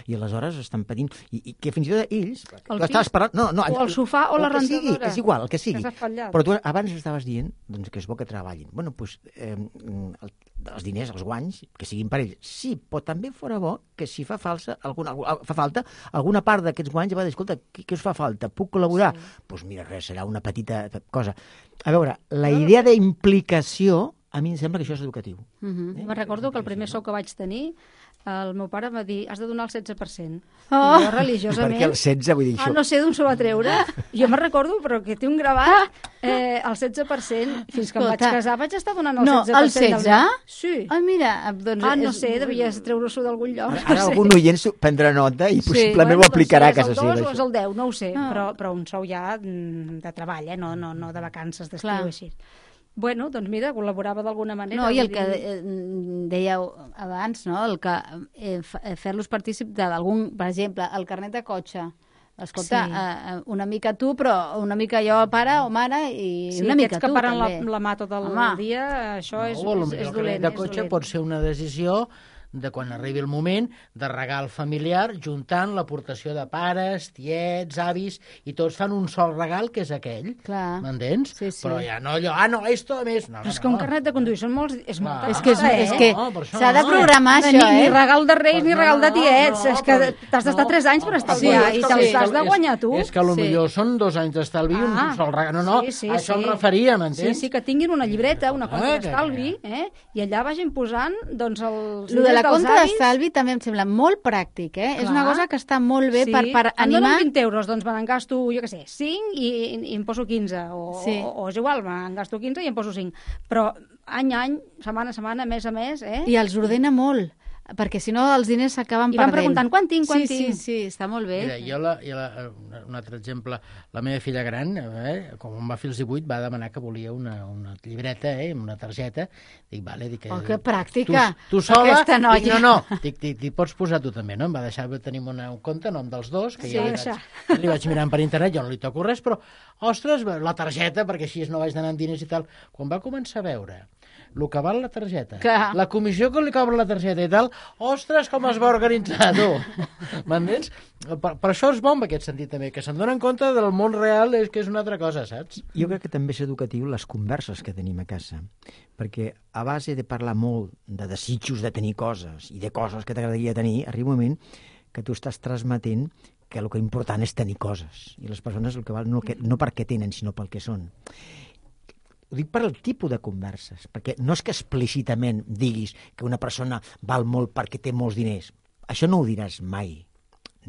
I aleshores estan patint. I que fins i tot ells... El pis, o el sofà o la rentadora. És igual, el que sigui. Que però tu abans estaves dient que és bo que treballin. Bueno, doncs els diners, els guanys, que siguin per ells. Sí, però també fora bo que si fa falta alguna part d'aquests guanys, va dir, escolta, què us fa falta? Puc col·laborar? Doncs mira, res, serà una petita cosa. A veure, la idea d'implicació, a mi em sembla que això és educatiu. Me recordo que el primer sou que vaig tenir el meu pare va dir, has de donar el 16%. Oh. I jo, religiosament... Perquè el 16, vull dir això... no sé d'on s'ho va treure. Jo me'n recordo, però que té un gravat el 16%. Fins que em vaig casar vaig estar donant el 16%. No, el 16? Sí. Ai, mira, doncs... No sé, devia treure-s'ho d'algun lloc. Ara algun oient prendrà nota i possiblement ho aplicarà a casa seva. És el 2 o és el 10, no ho sé, però un sou ja de treball, no de vacances d'estiu així. Bueno, doncs mira, col·laborava d'alguna manera. No, i el que dèieu abans, no? El que fer-los partícip d'algun, per exemple, el carnet de cotxe. Escolta, una mica tu, però una mica jo, pare o mare, i una mica tu, també. Sí, aquests que paren la mà tot el dia, això és dolent. El carnet de cotxe pot ser una decisió de quan arribi el moment de regal familiar, juntant l'aportació de pares, tiets, avis, i tots fan un sol regal, que és aquell. M'entens? Sí. Però ja no allò, no, esto a més... Però és que un carnet de conduir són molts... És que s'ha de programar això, Ni regal de reis ni regal de tiets. És que t'has d'estar 3 anys per estalviar i te'ls has de guanyar tu. És que potser són 2 anys d'estalvi i un sol regal. No, això em referia, m'entens? Sí, que tinguin una llibreta, una compta d'estalvi, i allà vagin posant, doncs, els... La compta d'estalvi també em sembla molt pràctic, És una cosa que està molt bé per animar... Em donen 20 euros, doncs me n'en gasto, jo què sé, 5 i em poso 15, o és igual, me'n gasto 15 i em poso 5. Però any a any, setmana a setmana, mes a mes, I els ordena molt, perquè si no els diners s'acaben perdent. I van preguntant, quan tinc? Sí, està molt bé. Mira, un altre exemple, la meva filla gran, com em va fer els 18, va demanar que volia una llibreta, una targeta. Dic, vale, que pràctica, tu sola, aquesta noia. No, t'hi pots posar tu també, no? Em va deixar, tenim un compte, nom dels dos, que ja li vaig mirant per internet, jo no li toco res, però, ostres, la targeta, perquè així no vaig d'anar amb diners i tal. Quan va començar a veure el que val la targeta, la comissió que li cobra la targeta i tal, ostres, com es va organitzar, tu! M'entens? Per això és bo en aquest sentit també, que se'n donen compte del món real, que és una altra cosa, saps? Jo crec que també és educatiu les converses que tenim a casa, perquè a base de parlar molt de desitjos de tenir coses i de coses que t'agradaria tenir, arriba un moment que tu estàs transmetent que el que important és tenir coses, i les persones el que val no perquè tenen, sinó pel que són. Ho dic per al tipus de converses, perquè no és que explícitament diguis que una persona val molt perquè té molts diners. Això no ho diràs mai.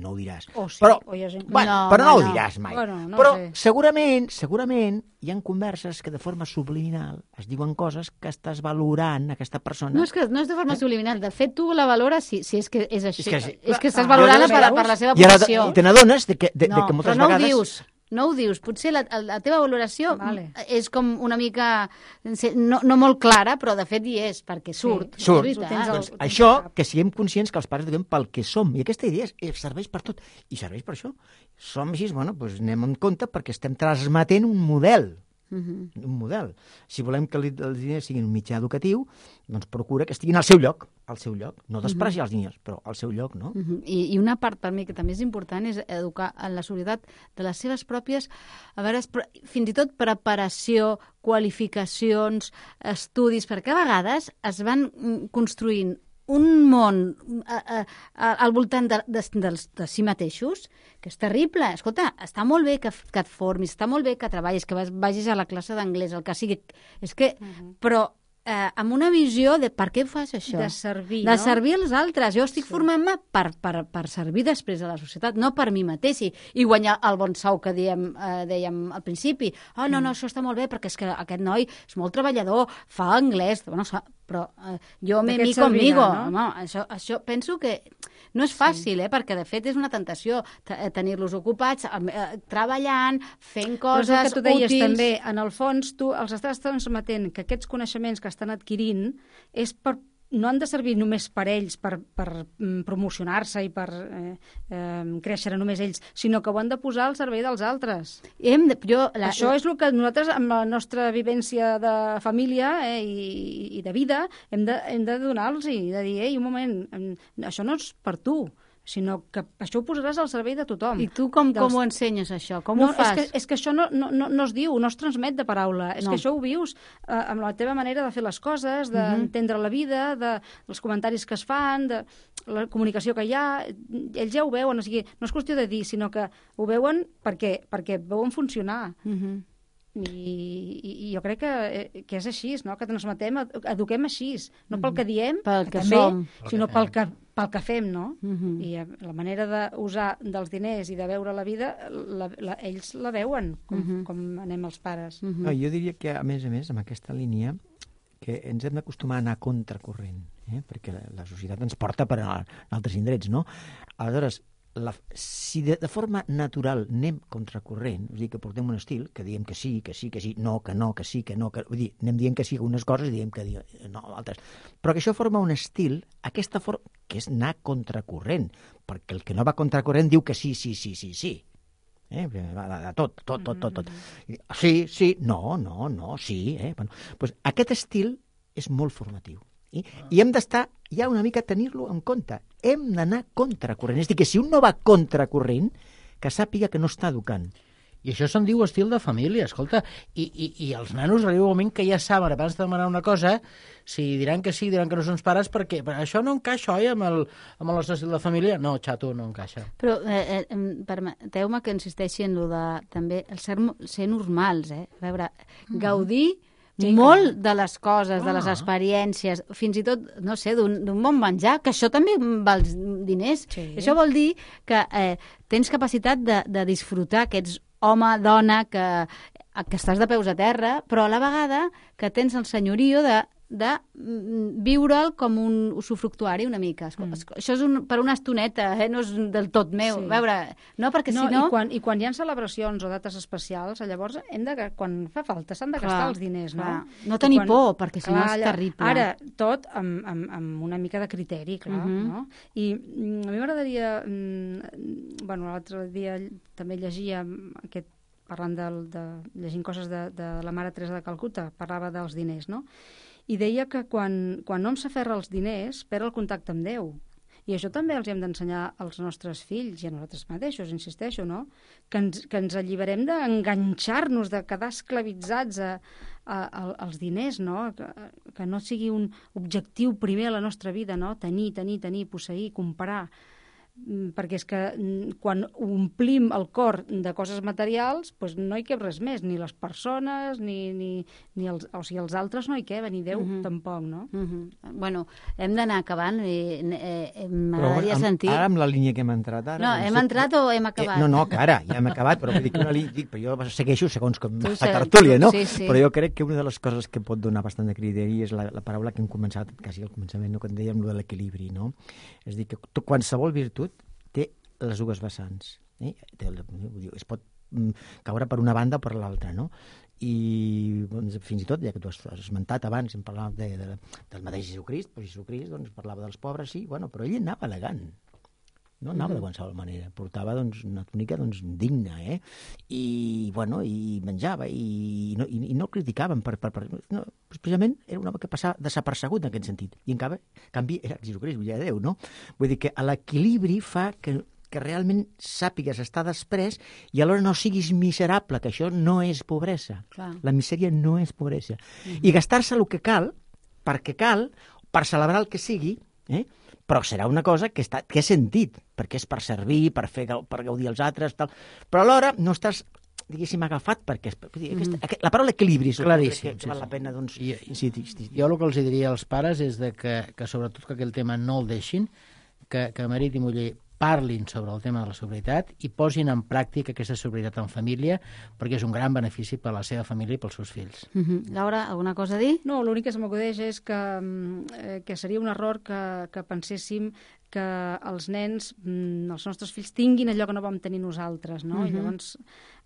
No ho diràs. Però no ho diràs mai. Però segurament hi ha converses que de forma subliminal es diuen coses que estàs valorant aquesta persona. No és de forma subliminal. De fet, tu la valores si és que és així. És que estàs valorant per la seva posició. I te n'adones de que moltes vegades... No ho dius. Potser la teva valoració és com una mica... No molt clara, però de fet hi és, perquè surt. Surt. Doncs això, que siguem conscients que els pares diguem pel que som. I aquesta idea serveix per tot. I serveix per això. Som així, doncs anem en compte perquè estem transmetent un model. Un model. Si volem que els diners siguin un mitjà educatiu, doncs procura que estiguin al seu lloc. No despreciar els diners, però al seu lloc, no? I una part per mi que també és important és educar en la seguretat de les seves pròpies, a veure, fins i tot preparació, qualificacions, estudis, perquè a vegades es van construint un món al voltant de si mateixos, que és terrible. Escolta, està molt bé que et formis, està molt bé que treballis, que vagis a la classe d'anglès, el que sigui. És que, però amb una visió de per què fas això. De servir, no? De servir als altres. Jo estic formant-me per servir després a la societat, no per mi mateix, i guanyar el bon sou que dèiem al principi. No, això està molt bé, perquè és que aquest noi és molt treballador, fa anglès, però jo me mi conmigo. No? Això penso que no és fàcil, perquè de fet és una tentació tenir-los ocupats, treballant, fent coses útils. Però és el que tu deies també, en el fons tu els estàs transmetent que aquests coneixements que estan adquirint no han de servir només per ells, per promocionar-se i per créixer només ells, sinó que ho han de posar al servei dels altres. Això és el que nosaltres, amb la nostra vivència de família i de vida, hem de donar-los i de dir, un moment, això no és per tu, sinó que això ho posaràs al servei de tothom. I tu com ho ensenyes, això? Com ho fas? És que això no es diu, no es transmet de paraula. És que això ho vius amb la teva manera de fer les coses, d'entendre la vida, dels comentaris que es fan, de la comunicació que hi ha. Ells ja ho veuen, o sigui, no és qüestió de dir, sinó que ho veuen perquè veuen funcionar. I I jo crec que és així, no? Que transmetem, eduquem així, no pel que diem, pel que també, som, sinó pel que fem, no? I la manera d'usar dels diners i de veure la vida, ells la veuen, com anem els pares. No, jo diria que, a més, amb aquesta línia, que ens hem d'acostumar a anar contracorrent, perquè la societat ens porta per a altres indrets, no? Aleshores, si de forma natural anem contracorrent, és a dir, que portem un estil, que diem que sí, no, que no, que sí, que no, vull dir, anem dient que sí a unes coses i diem que no a altres. Però que això forma un estil, aquesta forma, que és anar contracorrent, perquè el que no va contracorrent diu que sí. De tot. Sí, no, sí. Bueno, doncs aquest estil és molt formatiu. I hem d'estar ja una mica tenir-lo en compte. Hem d'anar contracorrent. És a dir, que si un no va contracorrent, que sàpiga que no està educant. I això se'n diu estil de família, escolta. I els nanos arriba un moment que ja saben, abans de demanar una cosa, si diran que sí, diran que no són pares, perquè això no encaixa, oi, amb el nostre estil de família? No, xato, no encaixa. Però permeteu-me que insisteixi en el de també el ser normals, A veure, gaudir molt de les coses, de les experiències, fins i tot, no sé, d'un bon menjar, que això també val diners. Sí. Això vol dir que tens capacitat de disfrutar, que ets home, dona, que estàs de peus a terra, però a la vegada que tens el senyorio de viure'l com un usufructuari una mica. Això és per una estoneta, no és del tot meu. Sí. Veure, no, perquè si no... I quan hi ha celebracions o dates especials, llavors quan fa falta s'han de gastar els diners, no? No tenir por, perquè si no és terrible. Ara, tot amb una mica de criteri, clar, no? I a mi m'agradaria... l'altre dia també llegia parlant llegint coses de la mare Teresa de Calcuta, parlava dels diners, no? I deia que quan hom s'aferra als diners, perd el contacte amb Déu. I això també els hem d'ensenyar als nostres fills i a nosaltres mateixos, insisteixo, no? Que ens alliberem d'enganxar-nos, de quedar esclavitzats als diners, no? Que no sigui un objectiu primer a la nostra vida, no? Tenir, posseir, comprar. Perquè és que quan omplim el cor de coses materials, doncs no hi cap res més, ni les persones, ni els altres no hi queben, ni Déu tampoc, no? Bueno, hem d'anar acabant i m'agradaria sentir... Ara amb la línia que hem entrat ara... No, hem entrat o hem acabat? No, que ara ja hem acabat, però jo segueixo segons com la tertúlia, no? Sí. Però jo crec que una de les coses que pot donar bastant de criteri és la paraula que hem començat quasi al començament, que en dèiem, de l'equilibri, no? És a dir, que qualsevol virtut té les dues vessants. Es pot caure per una banda o per l'altra, no? I fins i tot, ja que tu has esmentat abans, hem parlat del mateix Jesucrist, però Jesucrist parlava dels pobres, sí, però ell anava elegant. No anava de qualsevol manera, portava una túnica digna, i menjava, i no el criticaven no, precisament era un home que passava desapercegut en aquest sentit, i en canvi era Jesucrist, fill de Déu, no? Vull dir que l'equilibri fa que realment sàpigues estar després i alhora no siguis miserable, que això no és pobresa. Clar. La misèria no és pobresa. I gastar-se el que cal, perquè cal, per celebrar el que sigui, però serà una cosa que és sentit, perquè és per servir, per gaudir els altres, tal. Però alhora no estàs, diguéssim, agafat, perquè la paraula equilibri és claríssim, que val la pena incidir. Jo el que els diria als pares és que sobretot que aquell tema no el deixin, que marit i muller parlin sobre el tema de la sobrietat i posin en pràctica aquesta sobrietat en família, perquè és un gran benefici per a la seva família i pels seus fills. Laura, alguna cosa a dir? No, l'únic que se m'acudeix és que seria un error que penséssim que els nens, els nostres fills, tinguin allò que no vam tenir nosaltres, no? I llavors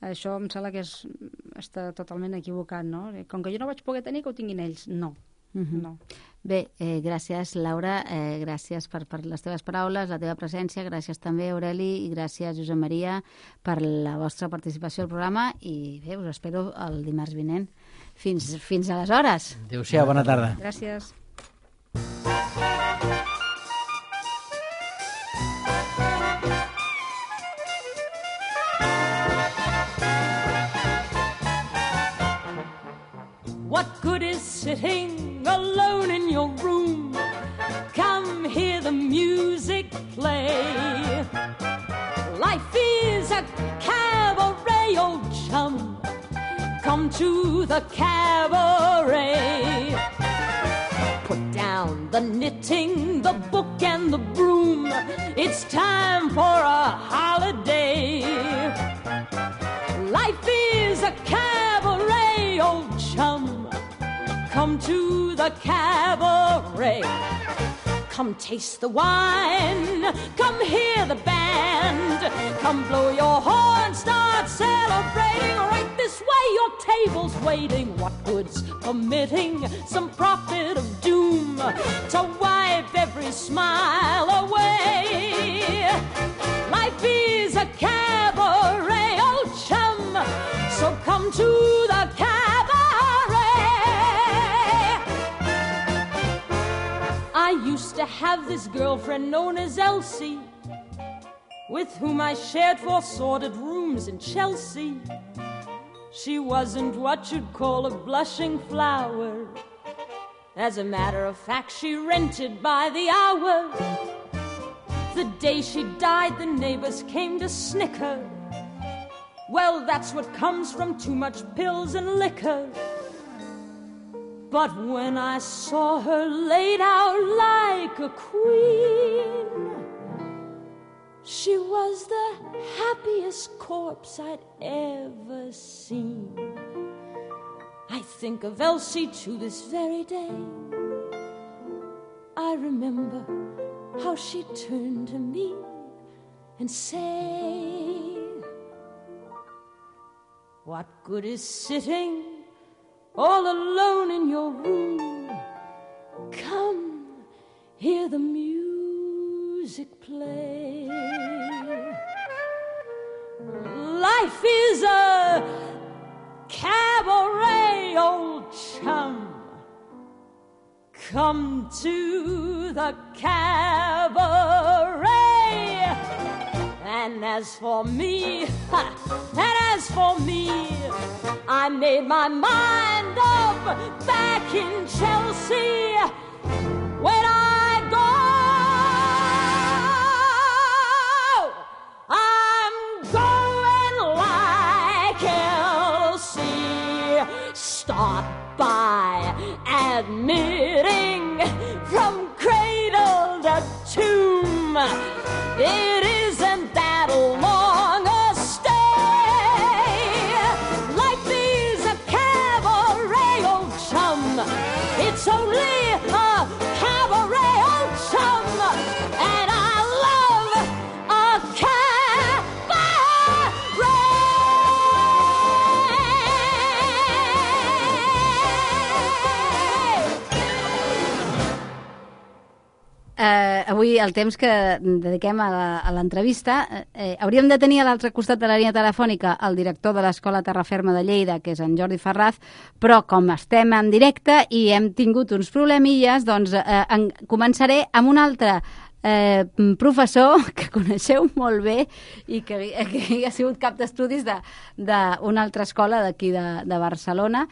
això em sembla que està totalment equivocat, no? Com que jo no vaig poder tenir, que ho tinguin ells. No. No. Bé, gràcies Laura, gràcies per les teves paraules, la teva presència, gràcies també Aureli i gràcies Josep Maria per la vostra participació al programa i bé, us espero el dimarts vinent. Fins aleshores. Adéu-siau, bona tarda. Gràcies. What good is sitting alone in your room? Come hear the music play. Life is a cabaret, old chum. Come to the cabaret. Put down the knitting, the book and the broom. It's time for a holiday. Life is a cabaret, old chum. Come to the cabaret. Come taste the wine, come hear the band. Come blow your horn, start celebrating. Right this way, your table's waiting. What good's permitting some prophet of doom to wipe every smile away? Life is a cabaret, old chum, so come to the cabaret. I used to have this girlfriend known as Elsie, with whom I shared 4 sordid rooms in Chelsea. She wasn't what you'd call a blushing flower. As a matter of fact, she rented by the hour. The day she died, the neighbors came to snicker. Well, that's what comes from too much pills and liquor. But when I saw her laid out like a queen, she was the happiest corpse I'd ever seen. I think of Elsie to this very day. I remember how she turned to me and say, what good is sitting all alone in your room? Come, hear the music play. Life is a cabaret, old chum. Come to the cabaret. And as for me, I made my mind up back in Chelsea. When I go, I'm going like Elsie. Start by admitting from cradle to tomb, it isn't that long a stay. Life is a cabaret, old chum. It's only a cabaret, old chum. And I love a Avui el temps que dediquem a l'entrevista, hauríem de tenir a l'altre costat de la línia telefònica el director de l'Escola Terraferma de Lleida, que és en Jordi Ferraz, però com estem en directe i hem tingut uns problemilles, doncs començaré amb un altre professor que coneixeu molt bé i que ha sigut cap d'estudis d'una altra escola d'aquí de Barcelona,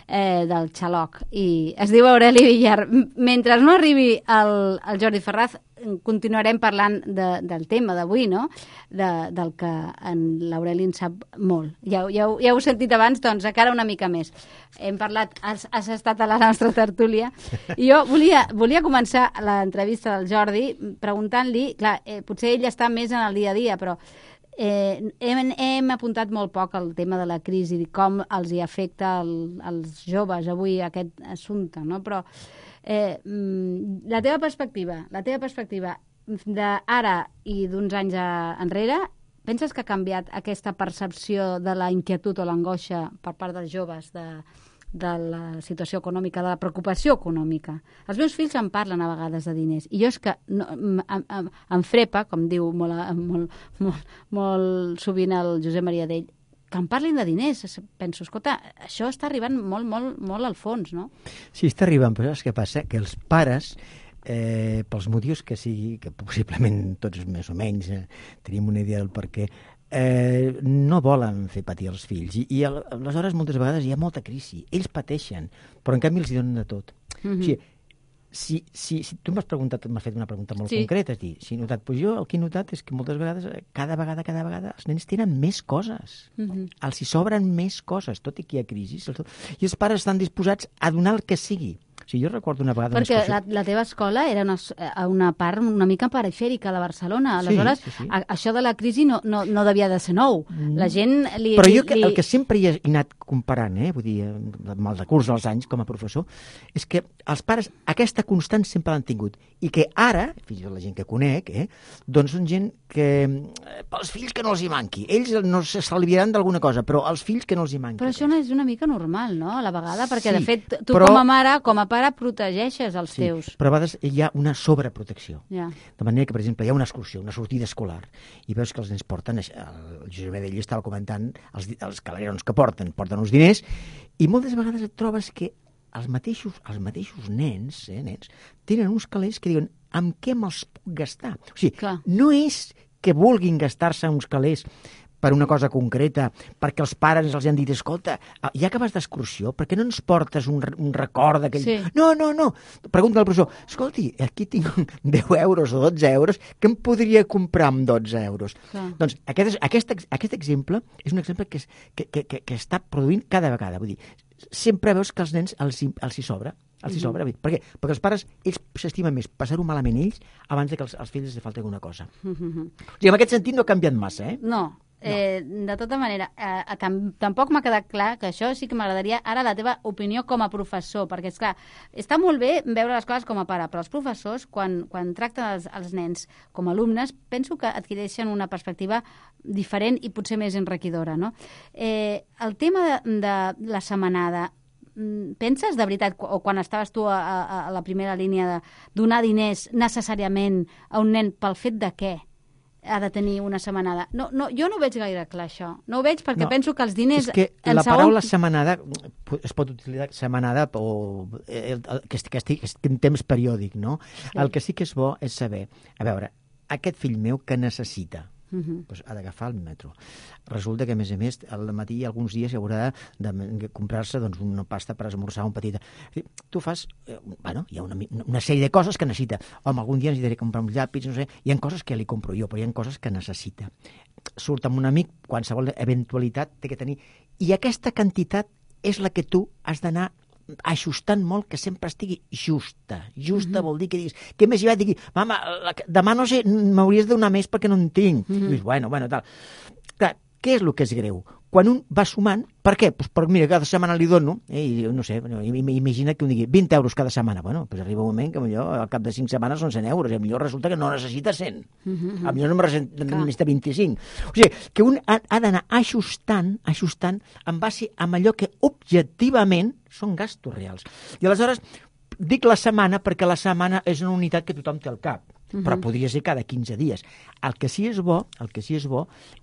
del Xaloc, i es diu Aureli Villar. Mentre no arribi el Jordi Ferraz, continuarem parlant del tema d'avui, no? Del que l'Aureli en sap molt. Ja heu sentit abans, doncs encara una mica més. Hem parlat, has estat a la nostra tertúlia, i jo volia començar l'entrevista del Jordi preguntant-li, clar, potser ell està més en el dia a dia, però hem apuntat molt poc al tema de la crisi i com els hi afecta als joves avui aquest assumpte, no? Però la teva perspectiva d'ara i d'uns anys enrere, penses que ha canviat aquesta percepció de la inquietud o l'angoixa per part dels joves de la situació econòmica, de la preocupació econòmica? Els meus fills em parlen a vegades de diners i jo és que em frepa, com diu molt sovint el Josep Maria Dell, que em parlin de diners. Penso, escolta, això està arribant molt al fons, no? Sí, està arribant, però saps què passa? Que els pares, pels motius que sigui, que possiblement tots més o menys tenim una idea del per què, no volen fer patir els fills. I aleshores moltes vegades hi ha molta crisi. Ells pateixen, però en canvi els hi donen de tot. O sigui, si tu m'has fet una pregunta molt concreta, és dir, si he notat, doncs jo el que he notat és que moltes vegades, cada vegada, els nens tenen més coses. Els hi sobren més coses, tot i que hi ha crisi. I els pares estan disposats a donar el que sigui. O sigui, jo recordo una vegada... Perquè la teva escola era una part una mica perifèrica de Barcelona. Aleshores, sí. Això de la crisi no devia de ser nou. La gent... Però jo el que sempre hi he anat comparant, vull dir, amb el decurs dels anys com a professor, és que els pares aquesta constant sempre l'han tingut. I que ara, fins i tot la gent que conec, doncs són gent que... pels fills que no els hi manqui. Ells no s'estalviaran d'alguna cosa, però els fills que no els hi manqui. Però això no és una mica normal, no?, a la vegada, perquè, de fet, tu com a mare, com a pare, protegeixes els teus. Però a vegades hi ha una sobreprotecció. Ja. De manera que, per exemple, hi ha una excursió, una sortida escolar, i veus que els nens porten, el Josep Adell estava comentant, els calerons que porten uns diners, i moltes vegades et trobes que els mateixos nens tenen uns calés que diuen amb què me'ls puc gastar? O sigui, no és que vulguin gastar-se uns calés per una cosa concreta, perquè els pares els han dit, escolta, ja que vas d'excursió, per què no ens portes un record d'aquell... Sí. No. Pregunta al professor, escolti, aquí tinc 10 euros o 12 euros, què em podria comprar amb 12 euros? Clar. Doncs aquest exemple és un exemple que està produint cada vegada. Vull dir, sempre veus que als nens els hi sobra. Per què? Perquè els pares, ells s'estimen més passar-ho malament ells abans que als fills els falti alguna cosa. O sigui, en aquest sentit no ha canviat massa, No. De tota manera, tampoc m'ha quedat clar que això sí que m'agradaria ara la teva opinió com a professor, perquè, esclar, està molt bé veure les coses com a pare, però els professors, quan tracten els nens com a alumnes, penso que adquireixen una perspectiva diferent i potser més enriquidora, no? El tema de la setmanada, penses de veritat, o quan estaves tu a la primera línia, de donar diners necessàriament a un nen pel fet de què ha de tenir una setmanada? No, jo no ho veig gaire clar, això. No ho veig perquè penso que els diners... És que la paraula setmanada es pot utilitzar setmanada o que estigui en temps periòdic, no? Sí. El que sí que és bo és saber, a veure, aquest fill meu que necessita? Doncs ha d'agafar el metro. Resulta que, a més, al matí alguns dies haurà de comprar-se una pasta per esmorzar un petit... Tu fas... hi ha una sèrie de coses que necessita. Home, algun dia necessitaré comprar uns llapis, no sé... Hi ha coses que li compro jo, però hi ha coses que necessita. Surt amb un amic, qualsevol eventualitat té que tenir... I aquesta quantitat és la que tu has d'anar ajustant molt, que sempre estigui justa. Justa vol dir que diguis, què més hi va? Digui, mama, demà no sé, m'hauries de donar més perquè no en tinc. I dius, bueno, tal. Clar, què és el que és greu? Quan un va sumant, per què? Pues perquè, mira, cada setmana li dono, i no sé, imagina que un digui 20 euros cada setmana. Bueno, pues arriba un moment que potser al cap de 5 setmanes són 100 euros, i potser resulta que no necessita 100. Potser no necessita 25. O sigui, que un ha d'anar ajustant en base a allò que objectivament són gastos reals. I aleshores dic la setmana perquè la setmana és una unitat que tothom té al cap. Però podria ser cada 15 dies. El que sí és bo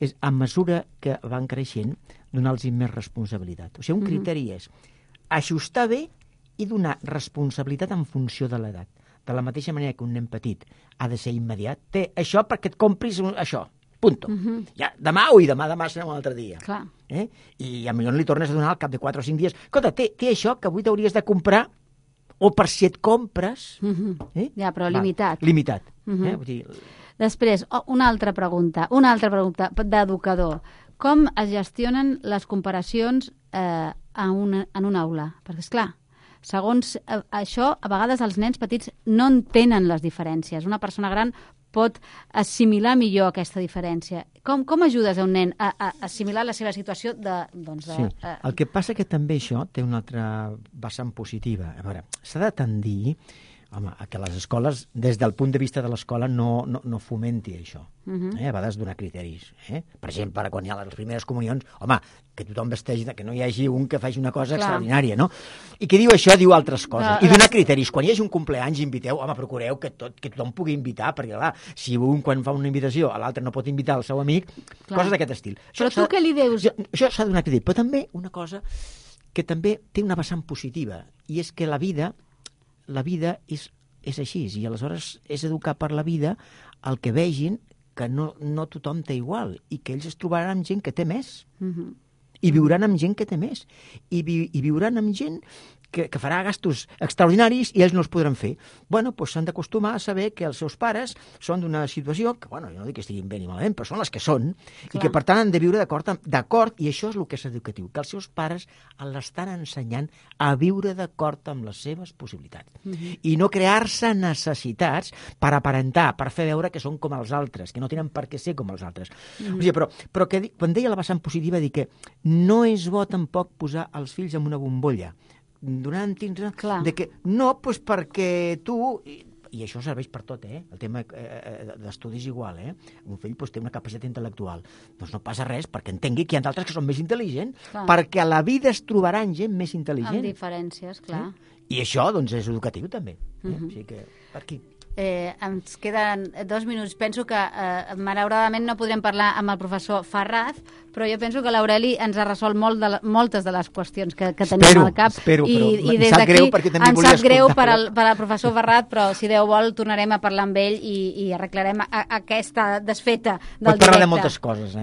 és, a mesura que van creixent, donar-los més responsabilitat. O sigui, un criteri és ajustar bé i donar responsabilitat en funció de l'edat. De la mateixa manera que un nen petit ha de ser immediat, té això perquè et compris això. Punto. Ja, demà serà un altre dia. Clar. I potser li tornes a donar al cap de 4 o 5 dies. Escolta, té això que avui t'hauries de comprar, o per si et compres... Ja, però limitat. Limitat. Vull dir... Després, una altra pregunta d'educador. Com es gestionen les comparacions en una aula? Perquè, esclar, segons això, a vegades els nens petits no entenen les diferències. Una persona gran pot assimilar millor aquesta diferència. Com ajudes a un nen a assimilar la seva situació Sí, el que passa que també això té una altra vessant positiva. A veure, s'ha de tendir que les escoles, des del punt de vista de l'escola, no fomenti això. A vegades donar criteris. Per exemple, quan hi ha les primeres comunions, home, que tothom vesteix, que no hi hagi un que faci una cosa extraordinària, no? I que diu això, diu altres coses. I donar criteris. Quan hi hagi un compleanys, inviteu, home, procureu que tothom pugui invitar, perquè, clar, si un quan fa una invitació, l'altre no pot invitar el seu amic, coses d'aquest estil. Però tu què li dius? Això s'ha de donar criteris. Però també una cosa que també té una vessant positiva, i és que la vida és així, i aleshores és educar per la vida el que vegin que no tothom té igual, i que ells es trobaran amb gent que té més, i viuran amb gent que té més, i viuran amb gent que farà gastos extraordinaris i ells no els podran fer. Bueno, doncs s'han d'acostumar a saber que els seus pares són d'una situació que, bueno, jo no dic que estiguin bé ni malament, però són les que són, i que per tant han de viure d'acord, i això és el que és educatiu, que els seus pares l'estan ensenyant a viure d'acord amb les seves possibilitats. I no crear-se necessitats per aparentar, per fer veure que són com els altres, que no tenen per què ser com els altres. O sigui, però que, quan deia la vessant positiva, dic que no és bo tampoc posar els fills en una bombolla, donant de que no, doncs perquè tu... I això serveix per tot, el tema d'estudis igual, un fill té una capacitat intel·lectual, doncs no passa res perquè entengui que hi ha d'altres que són més intel·ligents, perquè a la vida es trobaran gent més intel·ligent. Amb diferències, clar. I això, doncs, és educatiu també. O sigui que, per aquí... Ens queden 2 minuts. Penso que malauradament no podrem parlar amb el professor Ferraz, però jo penso que l'Aureli ens ha resolt moltes de les qüestions que tenim al cap. Espero, i des d'aquí ens sap greu per al professor Ferraz, però si Déu vol tornarem a parlar amb ell i arreglarem aquesta desfeta del directe. Pot parlar de moltes coses,